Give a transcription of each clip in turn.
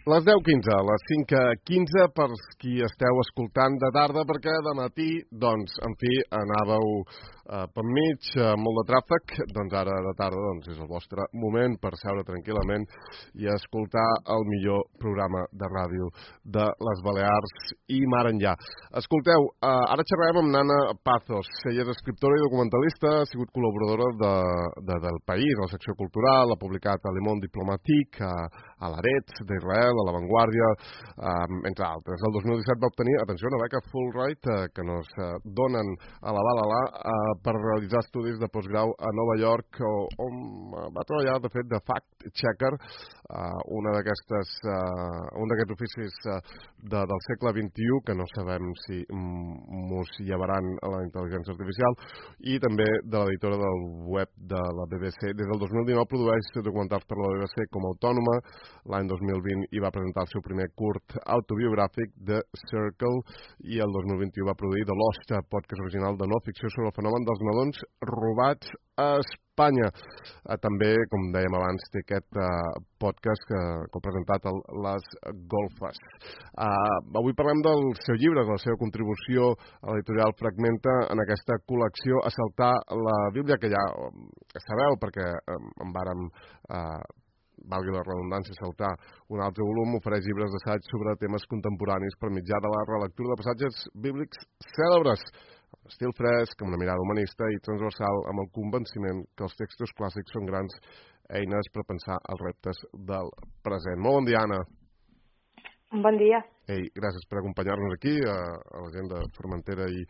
Les 10:15, les 5:15 per qui esteu escoltant de tarda, perquè de matí, doncs, en fi, anàveu per mig, molt de tràfic, doncs ara de tarda doncs, és el vostre moment per seure tranquil·lament i escoltar el millor programa de ràdio de les Balears i mar enllà. Escolteu, ara xerrarem amb Nana Pazos. Ella és escriptora i documentalista, ha sigut col·laboradora del País, a la secció cultural, ha publicat a Le Monde Diplomatique, a l'Aretz d'Israel, a La Vanguardia, entre altres. El 2017 va obtenir, atenció, una beca Fulbright que nos donen a la Balala per realitzar estudis de postgrau a Nova York, on va treballar, de fet, de fact-checker, un d'aquests oficis del segle XXI, que no sabem si mos llevaran a la intel·ligència artificial, i també de l'editora del web de la BBC. Des del 2019 produeix documentals per la BBC com a autònoma. L'any 2020 hi va presentar el seu primer curt autobiogràfic, The Circle, i el 2021 va produir The Lost, podcast original de no ficció sobre el fenomen dels nadons robats a Espanya. També, com dèiem abans, té aquest podcast que ha presentat Les Golfes. Avui parlem del seu llibre, de la seva contribució a l'editorial Fragmenta en aquesta col·lecció Assaltar la Bíblia, que ja sabeu, perquè en vàrem valgui la redundància, saltar un altre volum, ofereix llibres d'assaig sobre temes contemporanis per mitjà de la relectura de passatges bíblics cèlebres, amb estil fresc, amb una mirada humanista i transversal, amb el convenciment que els textos clàssics són grans eines per pensar els reptes del present. Molt bon dia, Anna. Bon dia. Ei, gràcies per acompanyar-nos aquí, a la gent de Formentera i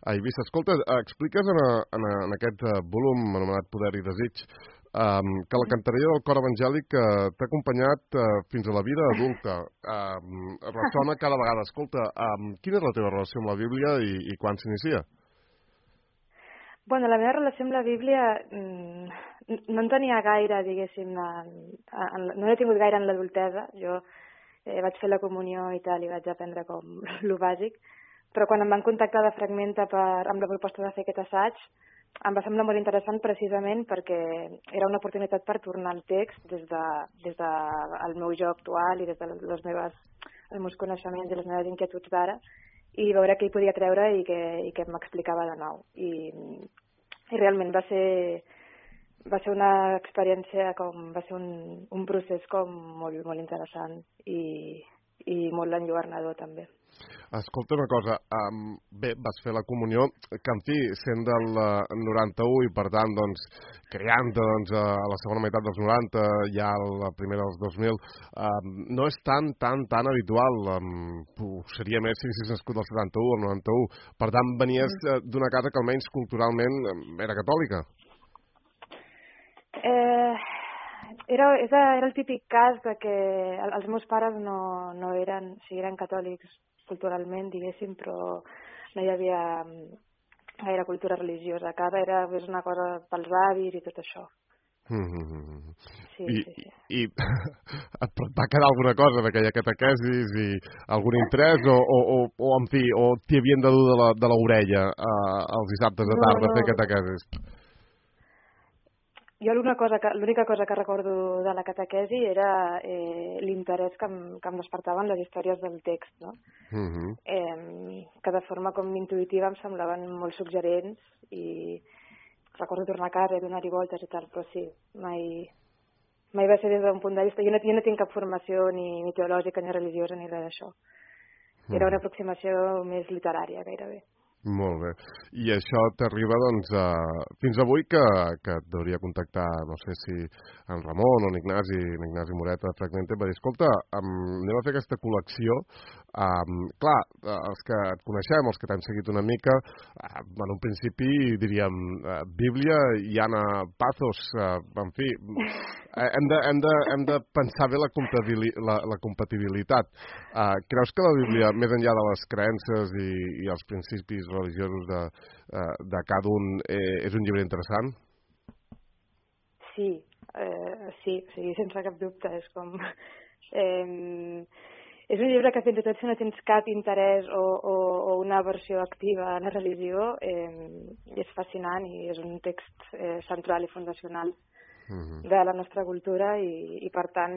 a Eivissa. Escolta, expliques en aquest volum anomenat Poder i Desig que la cantarella del cor evangèlic t'ha acompanyat fins a la vida adulta. Ressona cada vegada. Escolta, quina és la teva relació amb la Bíblia i quan s'inicia? Bueno, la meva relació amb la Bíblia no en tenia gaire, diguéssim, no he tingut gaire en l'adultesa. Jo vaig fer la comunió i tal, i vaig aprendre com lo bàsic, però quan em van contactar de Fragmenta amb la proposta de fer aquest assaig, em va semblar molt interessant precisament perquè era una oportunitat per tornar al text des del meu jo actual i des dels meus coneixements i les meves inquietuds d'ara, i veure què hi podia treure i què m'explicava de nou. I realment va ser una experiència, va ser un procés com molt, molt interessant i molt enlluernador també. Escolta una cosa, bé, vas fer la comunió, que en fi, sent del 91 i per tant, doncs, creant-te a la segona meitat dels 90, ja la primera dels 2000, no és tan habitual, seria més si haguessis nascut del 71 o el 91, per tant, venies d'una casa que almenys culturalment era catòlica. Era el típic cas de que els meus pares no eren, o sigui, eren catòlics culturalment, diguéssim, però no hi havia gaire cultura religiosa a casa, era una cosa pels avis i tot això. Sí. I et va quedar alguna cosa d'aquella catequesis i algun interès o en fi, o t'hi havien de dur de l'orella els dissabtes de tarda a fer catequesis? Jo l'única cosa que recordo de la catequesi era l'interès que em despertaven les històries del text, no? Que de forma com intuïtiva em semblaven molt suggerents i recordo tornar a casa i donar-hi voltes i tal, però sí, mai va ser des d'un punt de vista. Jo no tinc cap formació ni teològica ni religiosa ni res d'això. Era una aproximació més literària gairebé. Molt bé. I això t'arriba, doncs, fins avui que et devia contactar, no sé si en Ramon o en Ignasi Moreta de Fragmenta, va dir, escolta, anem a fer aquesta col·lecció. Clar, els que et coneixem, els que t'hem seguit una mica, en un principi diríem Bíblia i Anna Pazos, en fi, hem de pensar bé la compatibilitat. Creus que la Bíblia, més enllà de les creences i els principis religiosos de cada un, és un llibre interessant? Sí, sense cap dubte. És com... és un llibre que fins i tot si no tens cap interès o una versió activa a la religió, és fascinant i és un text central i fundacional de la nostra cultura i per tant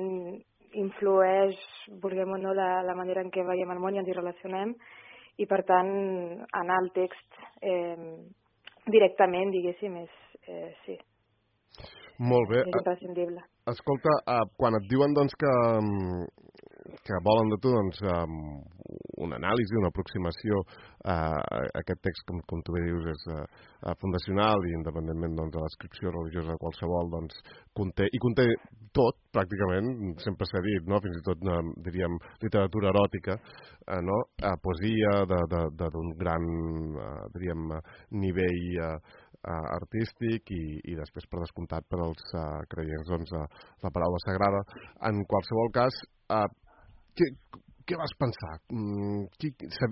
influeix, vulguem o no, la manera en què veiem el món i ens hi relacionem, i per tant anar al text directament, diguéssim, sí. Molt bé. És imprescindible. Escolta, quan et diuen doncs, que volen de tu doncs, una anàlisi, una aproximació a aquest text, com tu bé dius, és fundacional i independentment doncs, de l'adscripció religiosa qualsevol, doncs, conté tot, pràcticament, sempre s'ha dit, no? Fins i tot, diríem, literatura eròtica, no? Poesia d'un gran, diríem, nivell artístic i després, per descomptat, per als creients, doncs, la paraula sagrada. En qualsevol cas, què vas pensar?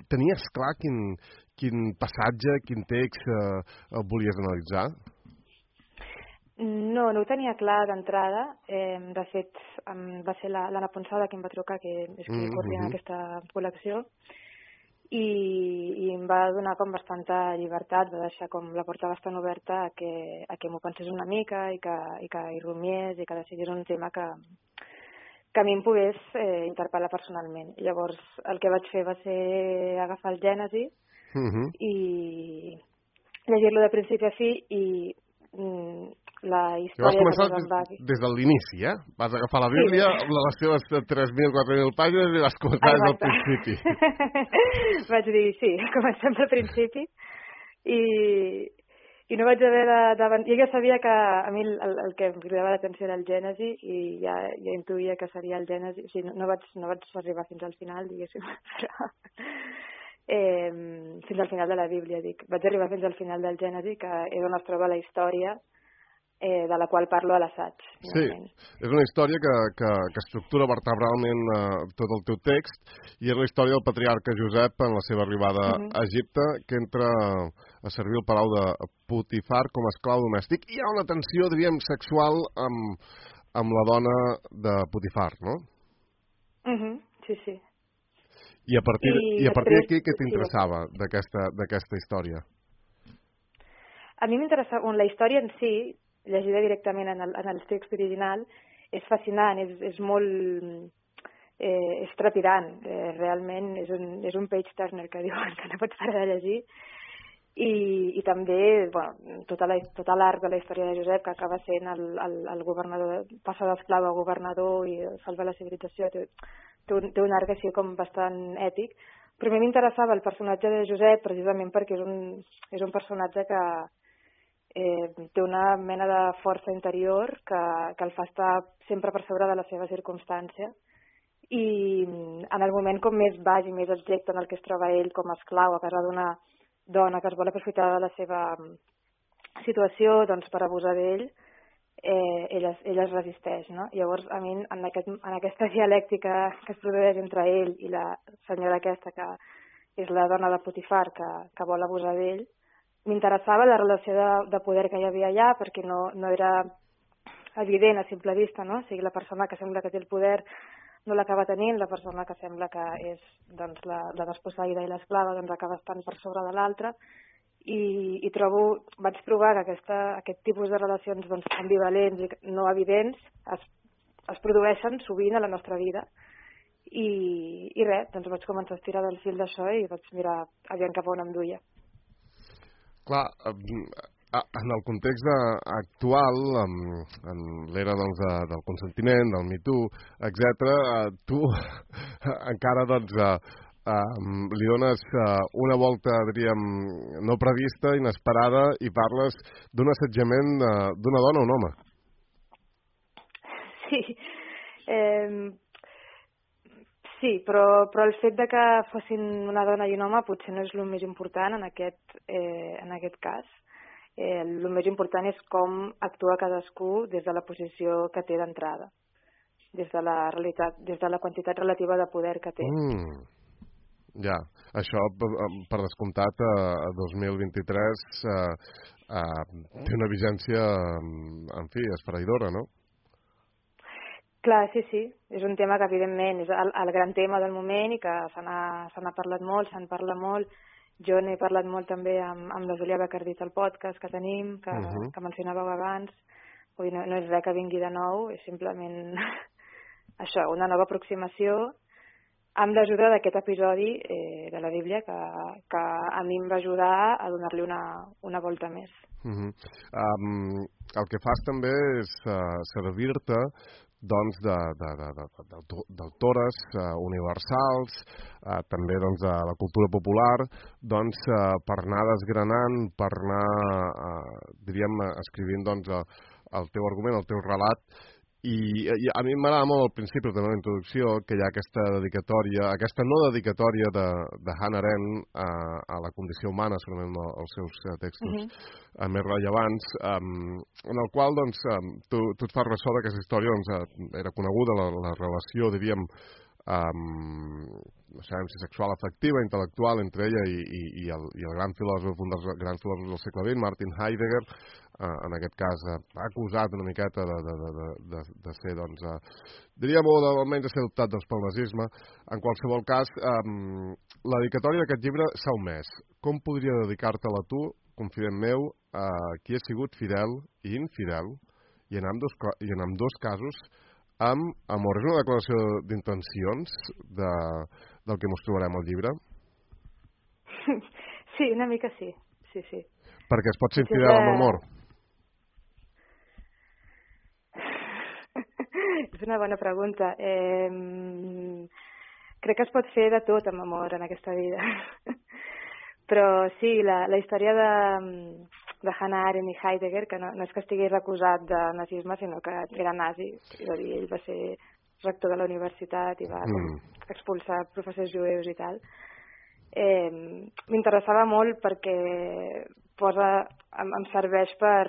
Tenies clar quin passatge, quin text volies analitzar? No ho tenia clar d'entrada. De fet, va ser l'Anna Ponsada qui em va trucar, que és qui coordina aquesta col·lecció, i em va donar com bastanta llibertat, va deixar com la porta bastant oberta a que m'ho pensés una mica i que hi rumiés i que decidís un tema que a mi em pogués interpel·lar personalment. Llavors, el que vaig fer va ser agafar el Gènesi i llegir-lo de principi a fi i la història... Vas començar des de l'inici, eh? Vas agafar la Bíblia, les seves 3.000, 4.000 pàgines i vas començar des del principi. Vaig dir, sí, comencem pel principi i no vaig haver de... Jo ja sabia que a mi el que em cridava l'atenció era el Gènesi i ja intuïa que seria el Gènesi. O sigui, no vaig arribar fins al final, diguéssim, però... fins al final de la Bíblia, dic. Vaig arribar fins al final del Gènesi, que és on es troba la història de la qual parlo a l'assaig. Sí, és una història que estructura vertebralment tot el teu text i és la història del patriarca Josep en la seva arribada a Egipte, que entra a servir el palau de Potifar com a esclau domèstic. I hi ha una tensió, diríem, sexual amb la dona de Potifar, no? Sí. I a partir d'aquí, què t'interessava d'aquesta història? A mi m'interessava... La història en si, llegida directament en el text original, és fascinant, és molt... és trepidant, realment és un page turner que diuen que no pots parar de llegir, i també tota l'arc de la història de Josep, que acaba sent el governador, passa d'esclau a governador i salva la civilització, té un arc així com bastant èpic, però a mi m'interessava el personatge de Josep precisament perquè és un personatge que té una mena de força interior que el fa estar sempre per sobre de la seva circumstància i en el moment com més baix i més objecte en el que es troba ell com a esclau a casa d'una dona que es vol aprofitar de la seva situació doncs, per abusar d'ell, ell es resisteix, no? Llavors, a mi, en aquesta dialèctica que es produeix entre ell i la senyora aquesta, que és la dona de Potifar, que vol abusar d'ell, m'interessava la relació de poder que hi havia allà, perquè no era evident a simple vista, no? O sigui, la persona que sembla que té el poder no l'acaba tenint, la persona que sembla que és doncs, la desposseïda i l'esclava doncs, acaba estant per sobre de l'altra, i vaig trobar que aquest tipus de relacions doncs, ambivalents i no evidents es produeixen sovint a la nostra vida. I res, doncs vaig començar a estirar del fil d'això i vaig mirar aviam cap a on em duia. Clar, en el context actual, en l'era doncs, del consentiment, del Me Too, etc., tu encara doncs, li dones una volta, diríem, no prevista, inesperada, i parles d'un assetjament d'una dona o un home. Sí, sí, però el fet de que fossin una dona i un home potser no és el més important en aquest cas. El més important és com actua cadascú des de la posició que té d'entrada, des de la realitat, des de la quantitat relativa de poder que té. Ja, això per descomptat a 2023 té una vigència, en fi, esfereïdora, no? Clar, sí. És un tema que evidentment és el gran tema del moment i que se n'ha parlat molt, se'n parla molt. Jo n'he parlat molt també amb la Júlia Bacardí al podcast que tenim, que mencionàveu abans. Vull dir, no és res que vingui de nou, és simplement això, una nova aproximació amb l'ajuda d'aquest episodi de la Bíblia que a mi em va ajudar a donar-li una volta més. El que fas també és servir-te doncs d'autores universals, també doncs de la cultura popular, doncs per anar desgranant, per anar, diríem, escrivint doncs el teu argument, el teu relat. I a mi m'agrada molt al principi, també a la introducció, que hi ha aquesta dedicatòria, aquesta no dedicatòria de Hannah Arendt a la condició humana, segurament els seus textos més rellevants, en el qual doncs, tu et fas ressò d'aquesta història, doncs, era coneguda la relació, diríem, no sabem si sexual, afectiva, intel·lectual entre ella i el gran filòsof, un dels grans filòsofs del segle XX, Martin Heidegger, en aquest cas acusat una miqueta de ser, doncs, diríem, o almenys de ser adoptat pel nazisme. En qualsevol cas, la dedicatòria d'aquest llibre s'ha omès. Com podria dedicar-te-la tu, confident meu, qui ha sigut fidel i infidel, i en ambdós casos, amb amor? És una declaració d'intencions del que mos trobarem al llibre? Sí, una mica sí. Sí. Perquè es pot ser infidel amb amor? És una bona pregunta. Crec que es pot fer de tot amb amor en aquesta vida. Però sí, la història de Hannah Arendt i Heidegger, que no és que estigués acusat de nazisme, sinó que era nazi. És a dir, ell va ser rector de la universitat i va expulsar professors jueus i tal. M'interessava molt perquè em serveix per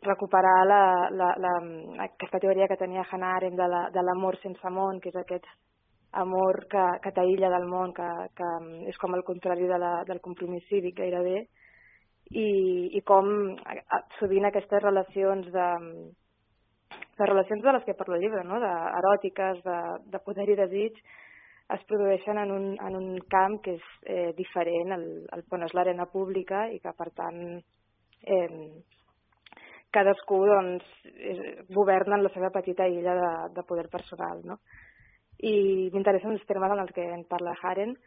recuperar aquesta teoria que tenia Hannah Arendt de l'amor sense món, que és aquest amor que t'aïlla del món, que és com el contrari del compromís cívic gairebé, i com sovint aquestes relacions les relacions de les que parlo al llibre, no? Eròtiques, de poder i desig, es produeixen en un camp que és diferent, on és l'arena pública, i que per tant cadascú doncs, governa en la seva petita illa de poder personal, no? I m'interessen els termes en els que en parla Arendt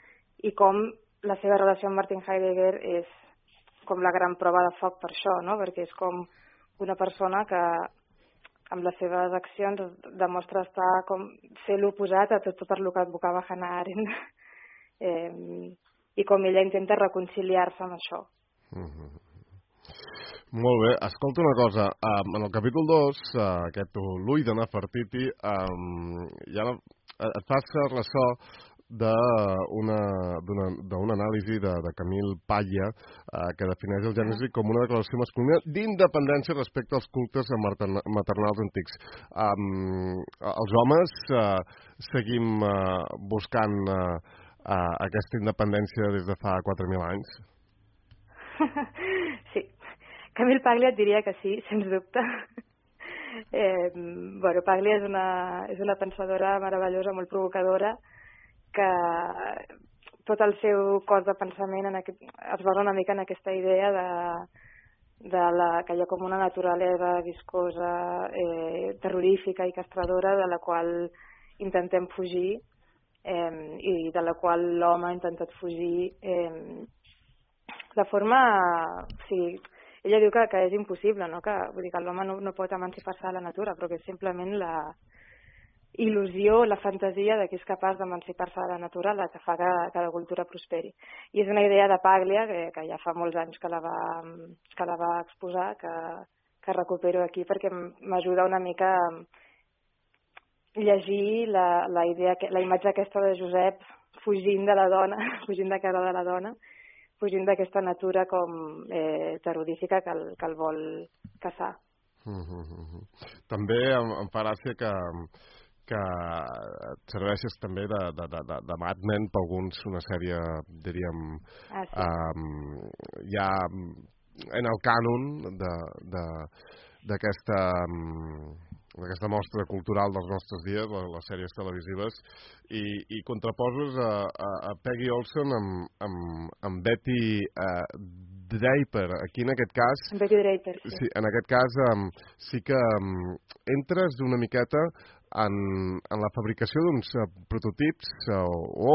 i com la seva relació amb Martin Heidegger és com la gran prova de foc per això, no? Perquè és com una persona que amb les seves accions demostra ser l'oposat a tot per lo que advocava Hannah Arendt i com ella intenta reconciliar-se amb això. Molt bé, escolta una cosa, en el capítol 2, aquest l'ull de Nefertiti, ja et fas ressò d'una anàlisi de Camille Paglia que defineix el Gènesi com una declaració masculina d'independència respecte als cultes maternals antics. Els homes seguim buscant aquesta independència des de fa 4.000 anys? Sí. Camille Paglia et diria que sí, sens dubte. Paglia és una pensadora meravellosa, molt provocadora, que tot el seu cos de pensament es basa una mica en aquesta idea que hi ha com una naturalesa viscosa, terrorífica i castradora de la qual intentem fugir i de la qual l'home ha intentat fugir de forma... Sí, ella diu que és impossible, no? Vull dir que l'home no pot emancipar-se de la natura, però que és simplement la il·lusió, la fantasia de que és capaç d'emancipar-se de la natura la que fa que la cultura prosperi. I és una idea de Paglia, que ja fa molts anys que la va exposar, que recupero aquí perquè m'ajuda una mica a llegir la imatge aquesta de Josep fugint de la dona, fugint de cara de la dona, fugint d'aquesta natura com terrorífica que el vol caçar. També em fa gràcia que et serveixes també de Mad Men per alguns, una sèrie, diríem, ja en el cànon d'aquesta mostra cultural dels nostres dies, les sèries televisives, i contraposes a Peggy Olson amb Betty Draper. Aquí en aquest cas... Betty Draper, sí. Sí, en aquest cas sí que entres una miqueta en la fabricació d'uns prototips o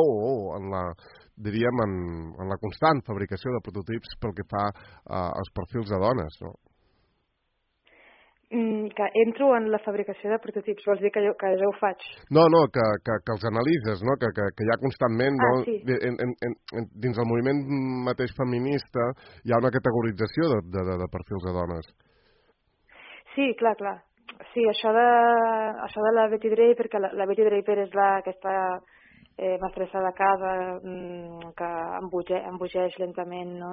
en la, diríem, en la constant fabricació de prototips pel que fa als perfils de dones, no? Que entro en la fabricació de prototips, vols dir que jo ho faig? No, que els analitzes, no? Que hi ha constantment, no? Sí. Dins el moviment mateix feminista hi ha una categorització de perfils de dones. Sí, clar. Sí, això de la Betty Draper, que la Betty Draper és aquesta mestressa de casa que embogeix lentament, no?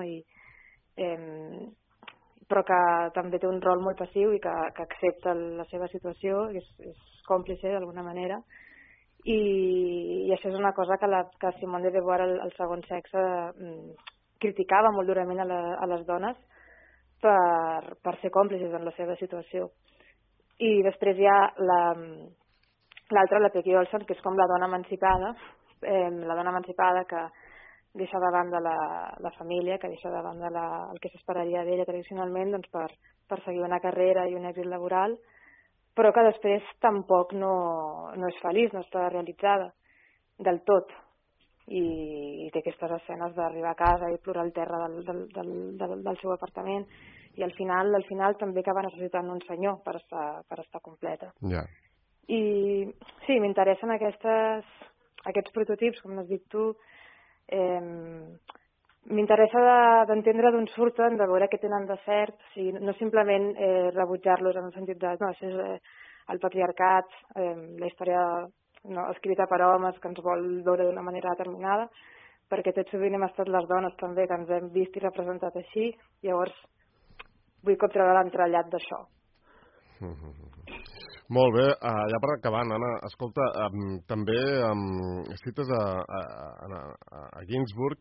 Però que també té un rol molt passiu i que accepta la seva situació, és còmplice d'alguna manera, i això és una cosa que Simone de Beauvoir, el segon sexe, criticava molt durament a les dones per ser còmplices en la seva situació. I després hi ha l'altra, la Peggy Olson, que és com la dona emancipada que deixa de banda la família, que deixa de banda el que s'esperaria d'ella tradicionalment, doncs per seguir una carrera i un èxit laboral, però que després tampoc no és feliç, no està realitzada del tot. I té aquestes escenes d'arribar a casa i plorar al terra del seu apartament, i al final també acaba necessitant un senyor per estar completa. Yeah. I sí, m'interessen aquests prototips, com has dit tu. M'interessa d'entendre d'on surten, de veure què tenen de cert, o sigui, no simplement rebutjar-los en el sentit de no, això és el patriarcat, la història escrita per homes que ens vol veure d'una manera determinada, perquè tot sovint hem estat les dones també que ens hem vist i representat així, llavors vull com treure l'entrellat d'això. Molt bé, ja per acabar, Anna, escolta, també cites a Ginsburg,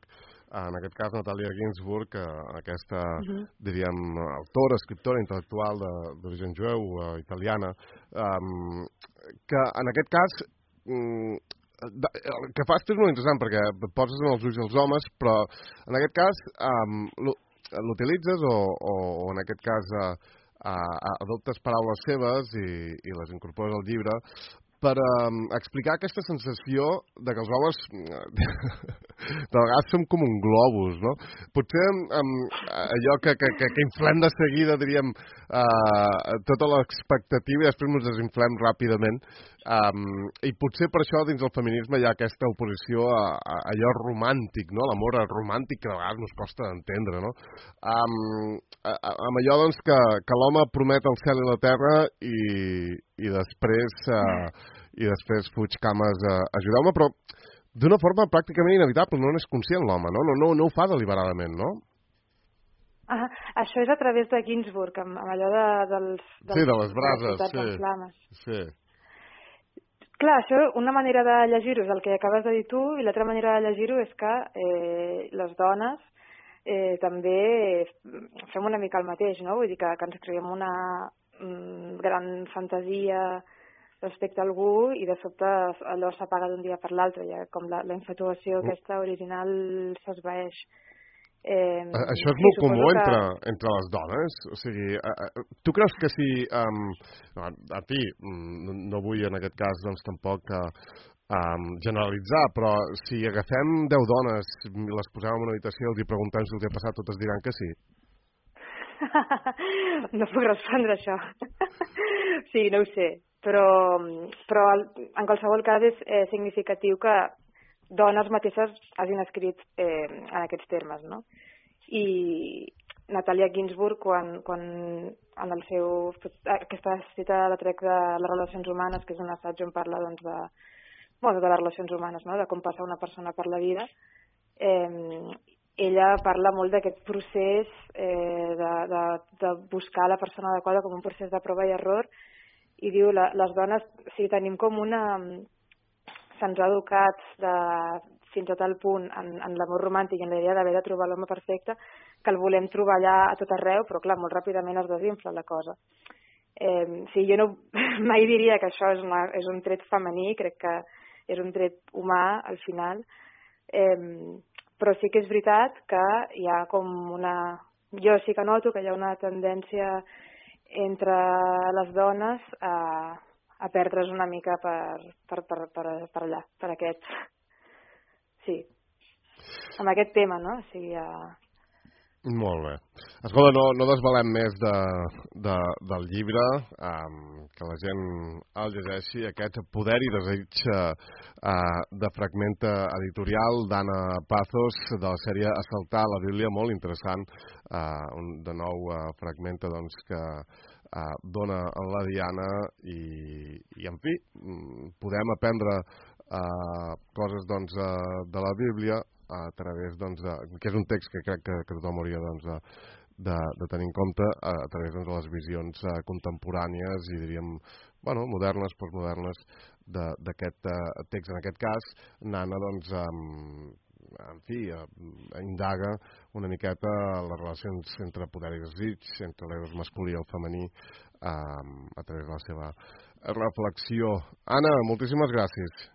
en aquest cas Natalia Ginsburg, aquesta, diríem, autora, escriptora, intel·lectual d'origen jueu, italiana, que en aquest cas el que fas és molt interessant perquè et poses en els ulls dels homes, però en aquest cas l'utilitzes o en aquest cas adoptes paraules seves i les incorpores al llibre per explicar aquesta sensació de que els homes de vegades som com un globus, no? Potser allò que inflem de seguida, diríem, tota l'expectativa i després ens desinflem ràpidament, i potser per això dins del feminisme hi ha aquesta oposició a allò romàntic, no? L'amor romàntic que de vegades ens costa d'entendre, no? Amb allò doncs que l'home promet el cel i la terra i després fuig cames a ajudar-me, però d'una forma pràcticament inevitable, no n'és conscient l'home, no? No ho fa deliberadament, no? Això és a través de Ginsburg, amb allò dels sí, de les brases, sí. Clar, això, una manera de llegir-ho és el que acabes de dir tu, i l'altra manera de llegir-ho és que les dones també fem una mica el mateix, no? Vull dir que ens creiem una gran fantasia respecte a algú i de sobte allò s'apaga d'un dia per l'altre, ja com la infatuació aquesta original s'esvaeix. Això és molt comú entre les dones? O sigui, tu creus que si... a fi, no vull en aquest cas doncs tampoc generalitzar, però si agafem 10 dones i les posem en una habitació i els preguntem si els ha passat, totes diran que sí. No puc respondre això. Sí, no ho sé. Però en qualsevol cas és significatiu que dones mateixes hagin escrit en aquests termes, no? I Natalia Ginsburg, quan en el seu... aquesta cita la trec de les relacions humanes, que és un assaig on parla doncs, de les relacions humanes, no? De com passa una persona per la vida, ella parla molt d'aquest procés de buscar la persona adequada com un procés de prova i error, i diu, les dones, si tenim com se'ns ha educat fins a tal punt en l'amor romàntic i en la idea d'haver de trobar l'home perfecte, que el volem trobar allà a tot arreu, però clar, molt ràpidament es desinfla la cosa. Sí, jo mai diria que això és un tret femení, crec que és un tret humà al final, però sí que és veritat que hi ha com jo sí que noto que hi ha una tendència entre les dones a a perdre's una mica per allà, per aquest... Sí, amb aquest tema, no? O sigui, Molt bé. Escolta, no desvelem més del llibre, que la gent el llegeixi, aquest Poder i desig de Fragmenta Editorial d'Anna Pazos, de la sèrie Assaltar la Bíblia, molt interessant, de nou Fragmenta, doncs, que dona en la diana i en fi, podem aprendre coses, doncs, de la Bíblia a través, doncs, que és un text que crec que tothom hauria, doncs, de tenir en compte a través, doncs, de les visions contemporànies i, diríem, bueno, modernes, postmodernes d'aquest text. En aquest cas, Nana, doncs, en fi, indaga una miqueta les relacions entre poder i desig, entre l'eros masculí i el femení, a través de la seva reflexió. Anna, moltíssimes gràcies.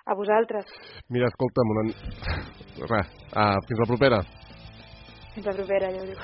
a vosaltres. Mira, escolta'm, fins la propera. Fins la propera, ja ho dic.